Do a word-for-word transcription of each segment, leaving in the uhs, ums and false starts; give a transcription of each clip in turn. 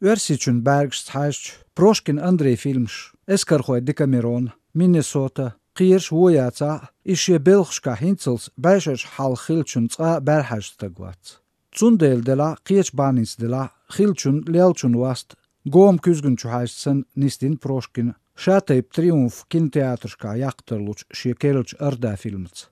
Оьрсийчун бӀаьргашца хьаьжча, Прошкин Андрей фильмаш «Эскархой Декамерон», «Миннесота», кхераш вон яцахь а, иза шен белхашкахь хӀинцалц бӀешерчу хьалха хиллачун цкъа а бӀаьрахьаьжна стаг вац. Цундела делахь а, кхечу бахьанца делахь а, хиллачун, леллачун васт гома куьзгана чу хьаьжча санна нисдина Прошкина, ша тайпа «Триумф» кинотеатрашкахь яккха тарлучу шен керлачу «Орда» фильмаца.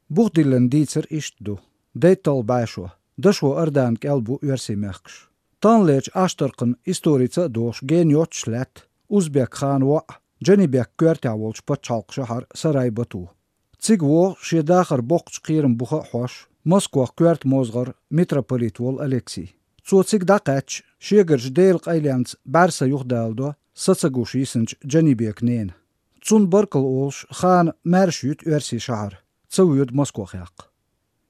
Бух диллина дийцар иштта ду: дайтталгӀа бӀешо, дашо Ордан кӀел бу оьрсийн мехкаш. Таханлерчу Ӏаштаркхан историца а догӀуш гена йоццуш лаьтта узбек хана воӀ, Джанибек коьртехь волчу пачхьалкхан шахьар Сарай-Бату. Цига вогӀу шен дахар боккхачу кхераман буха а хьош, Москох коьрта мозгӀар, митрополит волу Алексий. Цо цига дӀакхаьчча, шегарчу Делан къайленца бӀаьрса юхадала до са ца гуш йисинчу Джанибекан нена. Цунна баркалла олуш, хана маьрша юьту оьрсийн шахьар, ца воьду Москох яккха.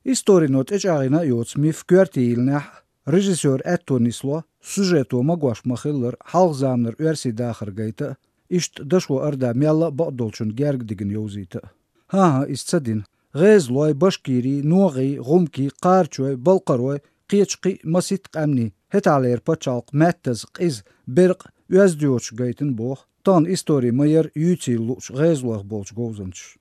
Историно тӀечӀагӀйина а йоцу миф коьрте йиллинехь а, режиссёран аьтто нисло сюжето магош ма-хиллара хьалха заманара оьрсийн дахар гайта а, иштта дашо Орда мелла а бакъдолчунна герга дигна йовзийта а. ХӀан-хӀа, иза ца дина. ГӀезалой, башкирий, ногӀий, гӀумкий, кхарачой, балкхарой, кхечу кхин а масийтта къаьмнийн, хӀетахьлера пачхьалкх маьттаза, къиза, беркъа, оьзда йоцуш гайтина боху, тахана истори ма-ярра юьйцийла луучу гӀезалойх болчу говзанчаша.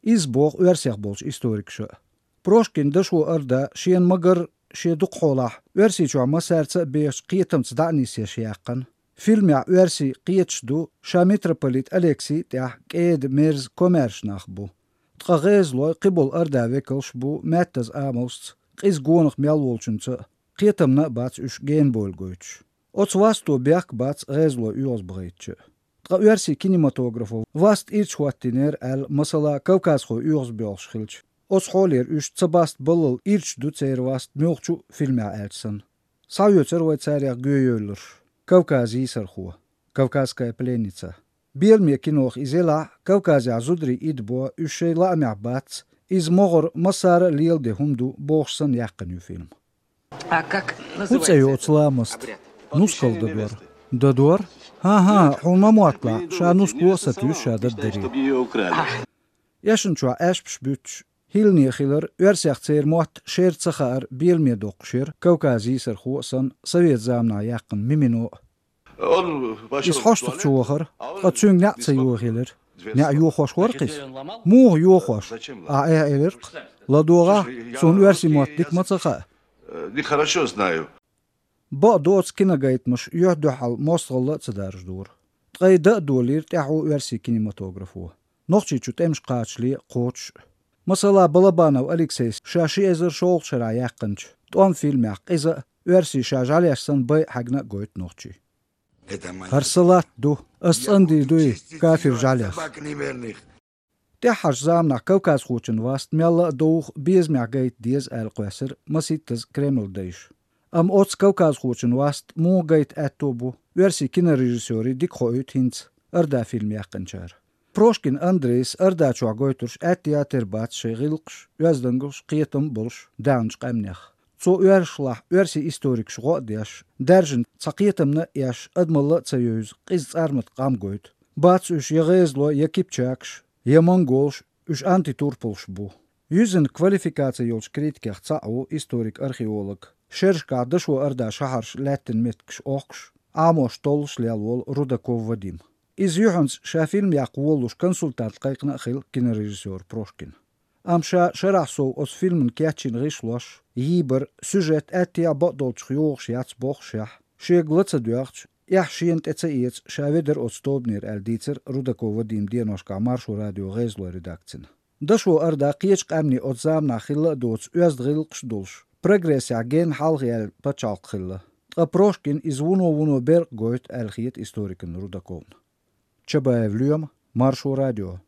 Иза боху оьрсех болчу историкаша а. Прошкин дашо Орда шена ма-гарра, шен дукхахьолахь Оьрсийчохь массаьрца а бехачу кхетамца дӀа а нисъеш яьккхина. Фильмехь оьрсий кхеташ ду, ша митрополит Алексий а тӀехь кӀеда, мерза, комаьрша нах бу. Ткъа гӀезалой, кхиболу Ордан векалш бу маьттаза амалшца, къиза гонах мел волчуьнца а, кхетамна а бац уьш генабойла гойтуш. Оцу васто бехк бац гӀезалой оьгӀазбахийтича а. Ткъа оьрсийн кинематографо васт ирча хӀоттийнера аьлла, масала, кавказхой оьгӀазбоьлхуш хилча, оцу хьолера уьш ца баста баллал ирча ду церан васт муьлххачу а фильмехь аьлча санна. Схьаоьцура вай царех гоьевлларш: «Кавказ йийсархо», «Кавказская пленница». Беламе кинох иза елахь а, Кавказехь зударий идабо, уьш шайн лаамехь бац, иза могӀара массара а леладен хӀума ду бохуш санна яьккхина ю фильм. А как называется этот обряд? ХӀун цӀе ю оцу ламаста? Нускал дадор. Дадор? ХӀан-хӀа, хьуна ма мотталахь, ша нускало а сатуьйсу ша даддарий. Эшначохь аьшпаш буьттуш, хӀиллане хилар, оьрсех церан мотт шера ца хаар беламе доккхуш яра Кавказ йийсархо а санна, совет заманахь яьккхина мимино а. Иза хьоштах чу вахара, ткъа цуьнга неӀ ца йохаелира. НеӀ йохош вара-кх иза. Муха йохош? Ахь эхь элира-кх: «ЛадогӀахь, суна оьрсийн мотт дика ма ца хаьа». Бакъдоцу, киногайтамаш юьхь-дуьхьал мостагӀалла а ца даржадора. Ткъе дан а долийра тӀаьхьо оьрсийн кинематографо. Нохчийчу тӀемаш кхачале а, кхочуш а. Масала, Балабанов Алексейс ша ши эзар шолгӀачу шарахь яьккхинчу «ТӀом» фильмехь къиза а, оьрсий ша жӀаьлеш санна бай а хьаьгна а гойту нохчийн. «ХӀара сан латта ду, ас цӀандийр дуй кафир жӀаьлех». ТӀаьххьарчу заманахь кавказхочун васт мелла а довха, безамехь гайта деза аьлла кхоьссира масийттаза Кремлан дайша. Амма оцу кавказхочун васт муха гайта аьтто бу, оьрсийн кинорежиссёрийн дика хоуьйту хӀинца «Орда» фильм яьккхинчара. Прошкин Андрейс «Орда» чохь гойтурш аьтто яц, тера бац шайн гӀиллакхаш, оьздангаллаш, кхетам а болуш даьхначу къаьмнех. Цо оьрсашлахь оьрсийн историкаш гӀо а деш, даьржина цхьа кхетамна а еш, адамалла а ца евза, къиза цӀармат къам гойту. Бац уьш я гӀезалой, я кипчакаш, я монголаш, уьш антитурпалш бу. Юьззина квалификаци йолчу критикех цхьаъ ву историк-археолог, шерашкахь дашо Ордан шахьарш лаьттина меттигаш охкуш, Ӏамош, толлуш лелла волу Рудаков Вадим. Иза юьхьанца ша фильм яккха волалуш консультант кхайкхина а хилла кинорежиссёра Прошкина. Амма ша шарахь сов оцу фильман кечйина гӀишлош, йийбар, сюжет аьттехьа бакъдолчух йогӀуш яц бохушехь, шега ла ца доьгӀча, эхь шена тӀе ца эца, ша ведара оцу тобанера аьлла дийцира Рудаков Вадима деношкахь Маршо радион гӀезалойн редакцина. Дашо Орда кхечу къаьмнийн оцу заманахь хилла а доцу оьзда гӀиллакхаш а долуш, прогрессехь генна хьалха яьлла пачхьалкх хилла. Ткъа Прошкина иза вуно-вуно беркъа гойту аьлла хета историкна Рудаковна. Чабаев Лоьма, Маршо радио.